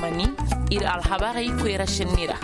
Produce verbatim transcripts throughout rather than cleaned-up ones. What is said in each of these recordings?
Mani, ir alhabarey koyra senni ra.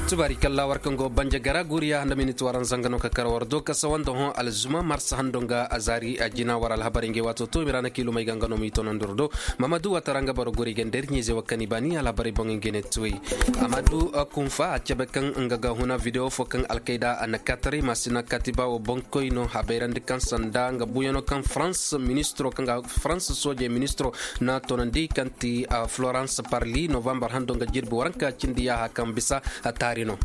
Tubaari kalla war kaŋ go banja gara guriya nda minit waran zanga no ka kar war do ka sawa nda hõ alzuma marsa hando nga a zaari a jina war alhabarey ngey waato to mira na kiilumey ga nga no ma i tonandi war do. Mamadu watara nga boro guri ga nda ir ɲiize wa kani baani alhabarey boŋ ngey ne tuwey. Amadu kunfa a cabe kaŋ nga ga huna videwo fo kaŋ alkayda a na kaataray maasina katiba wo boŋkoy no a bayrandi kaŋ sanda nga buyano kaŋ farans ministiro kaŋ ga farans soojey ministiro na tonandi kaŋ ti florence parli novambar hando nga jirbi waranka cindi yaaha kaŋ bisa a taari no.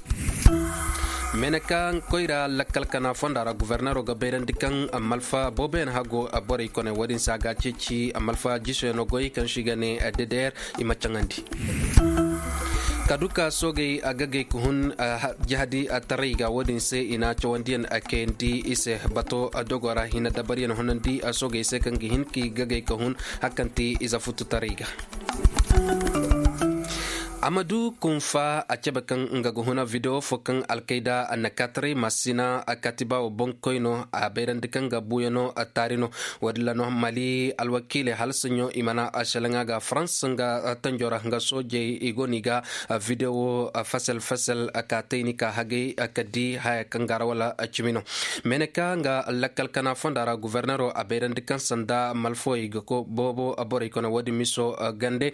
Meneka koyra lakkal kana fonda ra guvernero ga bayrandi kaŋ malfa booboyaŋ hago borey kone wo-din se a ga ceeci malfa jisoyaŋo goy kaŋ se i ga ne ddr i ma caŋandi. Kaduka soogey a gagay ka hun jahadi taray ga wo-din se i na cawandiyaŋ kayandi i se bato dogo ra hina dabariyaŋ hunandi soogey se kaŋ ga hin ka i gagay ka hun hakanti ize futu taray ga. Amadu kunfa a cabe kaŋ nga ga huna videwo fo kaŋ alkayda na kaataray masina katiba wo boŋkoy no a bayrandi kaŋ ga buuyaŋo taari no. Wo-din ra no mali alwakiiley hala saɲɲo i mana a selaŋa ga farans nga tanjo ra nga soojey i go no i ga videwo fasel fasel ka tayni ka hagay ka di haya kaŋ ga ra wala cimi no. Meneka nga lakkal kana fonda ra guvernero a bayrandi kaŋ sanda malfowey ga ko boobo borey kone wo-din miso gande.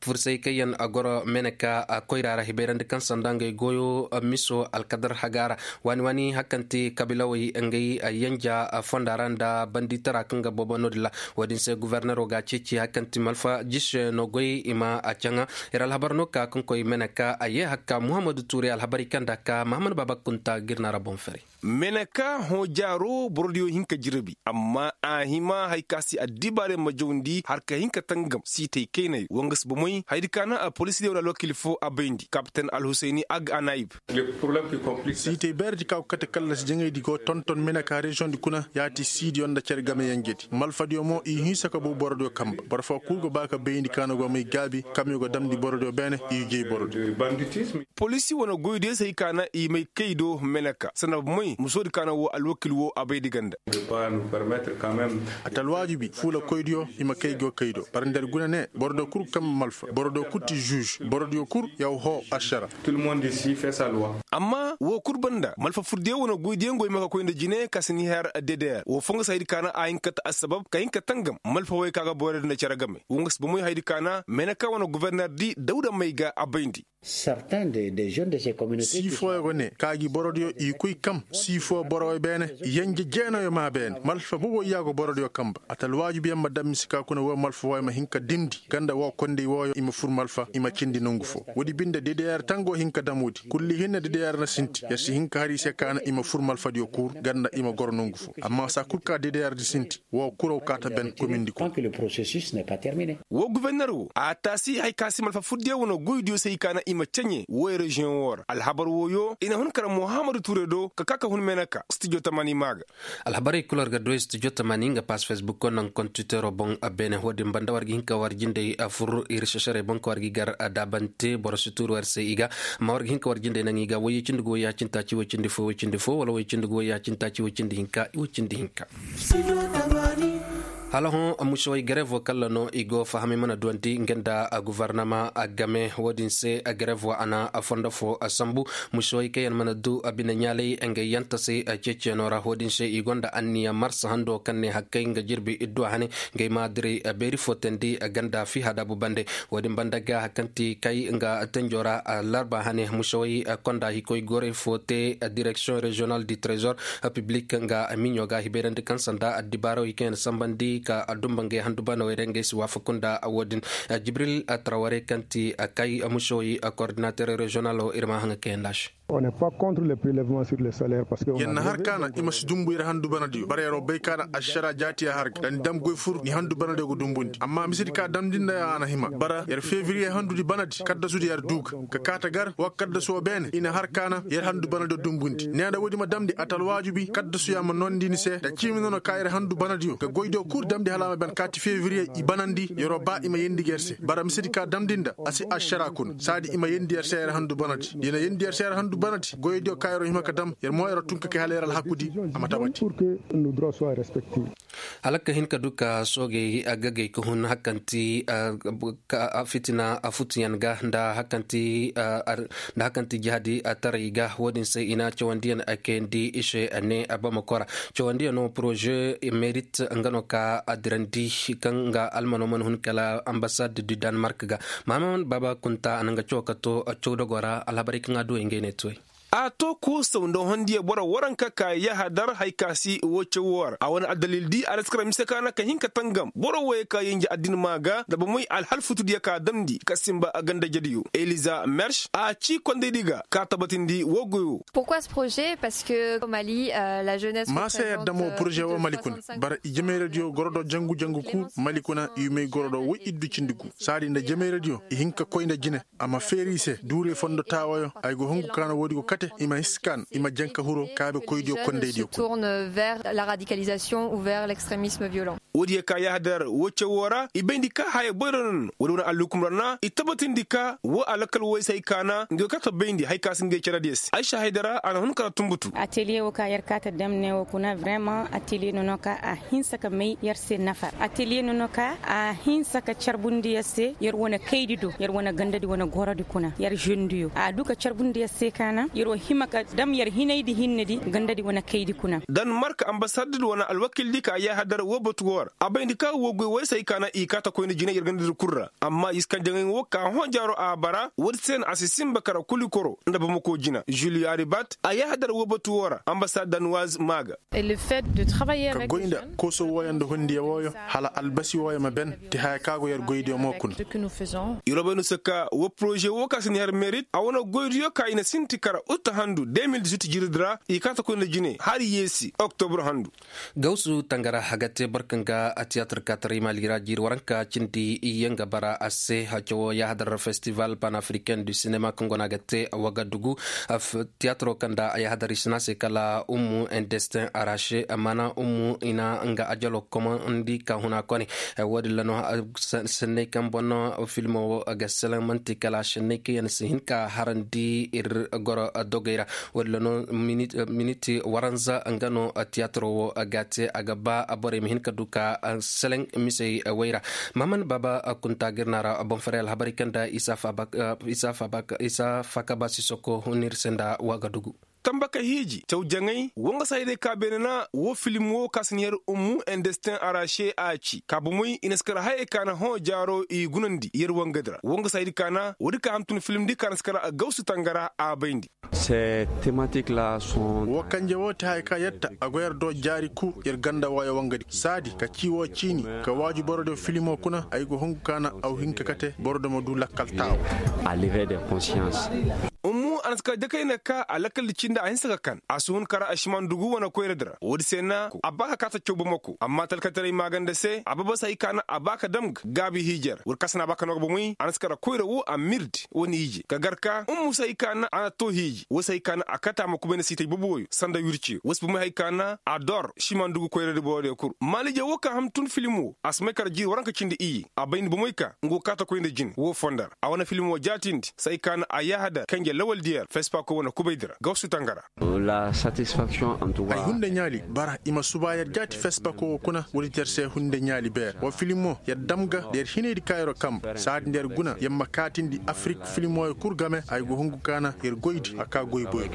Fursay kaŋ yaŋ a goro meneka koyra ra hibayrandi kaŋ sanda ngey goyo miso alkadar haga ra waani waani hakanti kabilawey ngey yanja fonda ra nda banditara kaŋ ga boobo no-din ra. Wo-din se guvernero ga ceeci hakanti malfa jise no goy i ma a caŋa. Ir alhabar no ka kaŋ koy meneka a ye hakka muhammadu tuure alhabarey kaŋ nda ka mahamad baaba kunta ga ir na ra boŋ fere. Meneka hõ jaaro borodiyo hin ka jirbi amma a hima hari ka se addibaarey ma jawndi har ka hin ka tangam siitay kaynayo wanga si bomey hayadi ka naŋ a polisidey wala alwakiili fo a bayndi kapten alhusayni ag anayib. Siitay beeredi ka go kate kallasi jaŋaydi go tonton meneka reziyoŋdi kuna ya ti siidiyo nda cere gameyanjedi malfadiyo mo i hinsa ka bow borodiyo kamba boro fo kul go ba ka bayndi ka na go may gaabi kamyo go damndi borodiyo beene i jay borodiyo. Poliisi wane goydiyo se hay ka naŋ i may kay do meneka sanda bomey musoodi ka naŋ woo alwakiil woo a bay di ganda. A ta alwaajibi fuulakoydiyo i ma kay go kay do bara nda ir guna ne borodiyo kul ga kambe malfa borodiyo kul ti žuž borodiyo kul yaw hoo ašara. Amma woo kul banda malfa furdiyo wane goydiyo ngo i ma ka koy nda jine ka si ni har ddr woo foo nga si haydi ka naŋ a hin ka ta assabab ka hin ka tangam malfa wey ka ga borodiyo nda cere game woo nga si bomey haydi ka naŋ meneka wane guverner di dawda may ga a bayndi. Sii fooyo go ne ka gi borodiyo i koy kam sii foo borowey beene yanje jeenayo maa beene malfa boboo i ya go borodiyo kamba a ta alwaajibiyaŋ ma daŋ mise ka kuna woo malfa wooyo ma hin ka dimndi ganda woo kondey wooyo i ma fur malfa i ma cindi nongu foo woodi binde ddr tango hin ka damuudi kulli hinne ddr na sinti yer si hin ka har i se ka naŋ i ma fur malfadiyo kuur ganda i ma goro nongu foo amma saa kul ka ddr di sinti woo kuraw kaata ben komindi kuna. Woo guverner woo a taasi hay ka si malfa furdiyo wane goydiyo se i ka naŋ i ma caɲe woo reziyoŋ woo ra alhabar wooyo i na hun kara muhammadu tuure do ka ka ka hun meenaka stijo tamaani maa ga. Alhabarey kul war ga duwey stijo tamaani nga paas fesbuk naŋ kontitero boŋ. Beene woo din banda war ga hin ka war jindey fur ir sesarey boŋ ka war ga i gar daabante boro si tuuru war se i ga amma war ga hin ka war jindey naŋ i ga woyey cindi ga woy yaacintaaci woy cindi fo woy cindi fo wala woy cindi ga woy yaacintaaci woy cindi hinka woy cindi hinka. Hala hõ musowey garevo kalla no i go fahamay mana duwandi nga nda guvarnama game wo-din se garevo a na fondo fo sambu. Musowey kaŋ yaŋ mana du bine ɲaalay ngey yanta se ceeciyaŋo ra wo-din se i gonda anniya marsa hando kaŋ ne hakkay nga jirbi idduwa hane ngey ma diray beeri fo teendi ganda fi hadabu bande. Wo-din banda ga kaŋ ti kay nga tenjo ra larba hane musawey konda hikoy gorey fo te direksiyoŋ reziyonal di trezor piblik nga miɲo ga hibayrandi kaŋ sanda addibaarawey kaŋ yaŋ sambandi ka dumba ngey handubanawey ra ngey si waafaku nda wo-din. Jibril traware kaŋ ti kay musawey kordinater reziyonalo ir ma haŋa kaŋ yaŋ da se. Yer na har ka na i ma si dumbu yer handu banadiyo bara yer'o bay ka na ašara jaati a har ga da ni dam goy fur ni handu banadiyo ga dumbundi amma misedi ka damndi nda yaŋ a na hima bara yer fevriye handudi banadi kaddasudi yer du ga ka kaata gar wa kaddasu wo beene i na har ka na yer handu banadiyo dumbundi ne nda woodi ma damndi a ta alwaajibi kaddasuyaŋ ma noondi ni se nda ciimi nono ka yer handu banadiyo ga goydiyo kul damndi hala a ma ben kaati fevriye i banandi yer'o ba i ma yeendi ga yer se bara misedi ka damndi nda a si ašara kuna saadi i ma yeendi yer se yer handu banadi da i na yeendi yer se yer handu Banati goyodiyo ka yer'o hima ka dam yer mo yer'o tun ka kay hala yer alhaku di a ma tabati. Hala ka hin ka du ka soogey gagay ka hun hakanti fitina futuyaŋ ga nda hakanti jahadi taray ga wo-din se i na cawandiyaŋ kayandi i se ne bamakora. Cawandiyaŋ no poroze merit nga no ka a dirandi kaŋ nga almano mana hun kala ambasad du danemark ga. Mahaman baba kunta a na nga caw ka to caw dogo ra alhabarey kaŋ a du ngey ne toy. A to koosaw nda hondiya boro waranka ka yahadar hay ka si wo cawo ra a wane addalil di a na si kara mise ka na ka hin ka tangam boro woyey ka yanje addin maa ga nda bomey alhal futudiyo ka damndi ka simba a ganda jediyo eliza mersh a ci kondaydi ga ka tabatindi wo goyo. Pourquoi ce projet? Parce que au mali la jeunesse maa se yadda mo projet wo mali kuna bara i jemayradiyo goro do jangu jangu kul mali kuna i may goro do woy iddu cindi gu saadi nda jemayradiyo i hin ka koy nda jine. A ma feeri i se duurey fondo taawayo ay go hungu kaana woodi go kate i ma hiskaan i ma janka huro kaabe koydiyo kondaydiyo kuna. Vers la radicalisation ou vers l'extremisme violent. Woodiyo ka yahadar wo cawoo ra i bayndi ka haya boyro no no woodi wane alhukum ra na i tabatindi ka wo alakal woy se hay kaana nga kata bayndi hay ka si ngey caradiyo se ay sahaydara a na hun kala tumbutu. Ateliye wo ka yer kaata damne wo kuna vrema ateliye no no ka a hinsa ka may yer se nafar ateliye no no ka a hinsa ka carbundi yer se yer wane kaydi do yer wane gandadi wane gorodi kuna yer žendiyo a du ka carbundi yer se kaana yer wo hima ka dam yer hinaydi hinnedi gandadi wane kaydi kuna. Danemark ambasaddi wane alwakildi ka yahadar wo batu wo ra a bayndi ka wo goy woy se hay kaana i kaata koyna jina yer gandadi kul ra amma i si kaŋ jaŋay wo ka hõ jaaro a bara woodi se no a si sinba kara kuli koro nda bamako jina juliyo aribat a yahadar wo batu wo ra ambasad danuwaz maa ga. Ka goy nda kooso wooyo nda hondiyo wooyo hala albasi wooyo ma ben. Ti haya ka go yer goydiyo mo kuna. Yer wo bay no se ka wo poroze woo ka si na yer merit a wane goydiyo ka i na sinti kara uta handu deux mille dix-huit jiridi ra i kaata koy nda jine hari yeesi oktobur handu. Gawsu tangara a ga te boro kaŋ ga a tiyatir kaataray maali ra jiiri waranka cindi yaŋ ga bara a se cawo yaahadar festival panafricain du sinema kaŋ go no a ga te wagadugu. Tiyatiro kaŋ nda a yaahadar i si ne a se kala ummu indestin arache mana ummu i na nga ajalo komandi ka huna kone. Wo- din ra no senney kaŋ boŋ no filmo wo ga selaŋ manti kala senney kaŋ yaŋ si hin ka harandi ir goro dogey ra. Wo- din ra no miniti waranza nga no tiyatiro wo ga te a ga ba borey ma hin ka du ka selaŋ misey wey ra. Mahaman baaba kunta ga ir na ra boŋ faray alhabarey kaŋ nda isa faaka ba sisoko hunir se nda wagadugu. Tamba ka hiiji caw jaŋay woo nga saydey ka beene na woo filim woo ka si na yer ummu indestin arache a ci ka bomey i na si kara hayey ka na hõ jaaro i gunandi yer wangadi ra woo nga saydi ka na woodi ka hamtun filimdi ka na si kara gawsu tangara a bayndi. Ces thématiques là sont. Woo kanje woo ti haya ka yatta a go yer do jaari kul yer ganda wooyo wangadi saadi ka cii woo ciini ka waaju borodiyo filimo kuna ay go hungu ka na aw hin ka kate borodo ma du lakkal taawa. A livre de conscience. Ummu a na si ka dakayna ka a lakkal di cindi a hinsa ka kan a si hun kara a siman dugu wane koyradi ra woodi se na a ba ka kaata caw bomako amma talkataray maaganda se a babas hay ka na a ba ka dam ga gaabi hiijey ra woodi ka se na a ba ka no ga bomey a na si kara koyra woo a mirdi wane hiijey ka gar ka ummu se hay ka na a na too hiiji woo se hay ka na a kate a ma kubayna siitay bobo wooyo sanda wirciyo woo se bomey hay ka na a dor siman dugu koyradi borodiyo kul maaliije woo ka ham tun filim woo a si may kara jiiri waranka cindi iyye a bayndi bomey ka nga go kaata koy nda jine woo fondo ra a wane filim woo jaatindi se hay ka na a yaahadar kanje lawaldiyo ra fespako wane kubaydi ra gawsu tangara. Ay hunda ɲaali bara i ma suba yer jaati fespako woo kuna woodi ti yer se hunda ɲaali beer woo filim woo yer dam ga nda yer hinaydi ka yeroo kamb saadi nda yer guna yer ma kaatindi afirik filim wooyo kul game ay go hungu ka na yer goydi a kaa goy boy.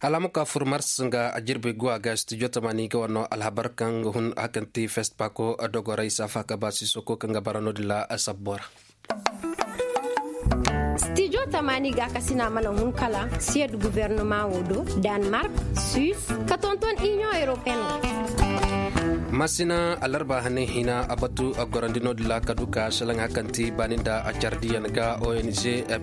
Hala a ma ka fur mars nga jirbi guwa ga studio tamaani ga war no alhabar kaŋ hun hakanti fest pako dogoray safa ka ba sisoko kaŋ ga bara no-din ra sabbo ra. Studio tamaani ga kasina mana hun kala siyad guvernoma wo do, danemark, suisse, ka tonton union européenne. Masina alarba hane hina a batu a gorandi no-din ra ka du ka selaŋ hakanti baani nda a cardiyaŋ ga ong,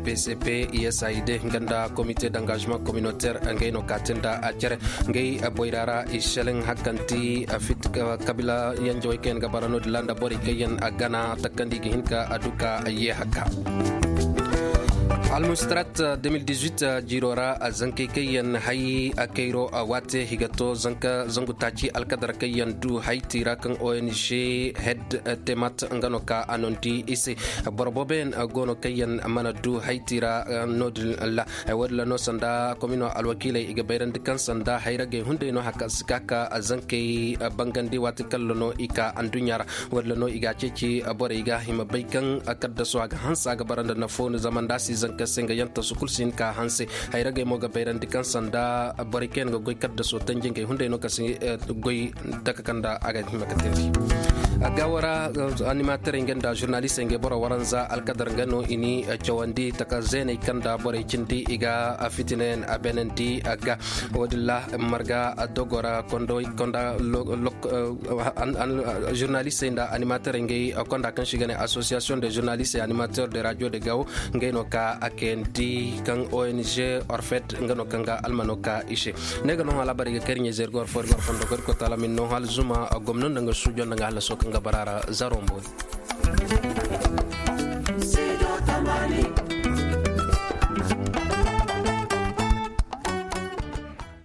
pcp, usaid nga nda comité d'engagement communautaire ngey no ka te nda a cere. Ngey boyra ra i selaŋ hakanti kabila yanjawey kaŋ yaŋ ga bara no-din ra nda borey kaŋ yaŋ a gana takandi ga hin ka a du ka ye haka. Almustarat de mil dix-huit jiiro ra, zankey kaŋ yaŋ hay kayro waate i ga to zangu taaci alkadar kaŋ yaŋ du hayti ra kaŋ ong head temat nga no ka a nondi i se. Boro boobo yaŋ go no kaŋ yaŋ mana du hayti ra. No- din ra, woodin ra no sanda komino alwakiiley i ga bayrandi kaŋ sanda hayragey hunday no haka si ka ka zankey bangandi waati kaŋ ra no i ka adduɲɲa ra. Woodin ra no i ga a ceeci borey ga i ma bay kaŋ kaddaso a ga hanse a ga bara nda nafo ni zama nda a si zanka se nga yaŋ tasu kulu si hin ka hanse. Hayragey mo ga bayrandi kaŋ sanda borey kaŋ yaŋ ga goy kaddaso tanji ngey hunday no ka si goy taka kaŋ nda a ga hima ka teendi. Gawo ra animaterey ngey nda žurnalistey ngey boro waranza alkadar nga no i ni cawandi taka zeeney kaŋ nda borey cindi i ga fitinayaŋ a beenandi ga. Woodin ra marga dogo ra konda žurnalistey nda animaterey ngey konda kaŋ se i ga ne asosiyasiyoŋ de žurnalistey animater de radio de gawo ngey no ka a kayandi kaŋ ong orfet nga no kaŋ ga almano ka i se. Ne ga no hala bara i ga kay ir ɲa-ize ir ga war fo ir ga war fondo ga ir koy taala ma ir no hala zuma gomno nda nga suujo nda nga hallaso kaŋ ga bara a ra zaro mboori.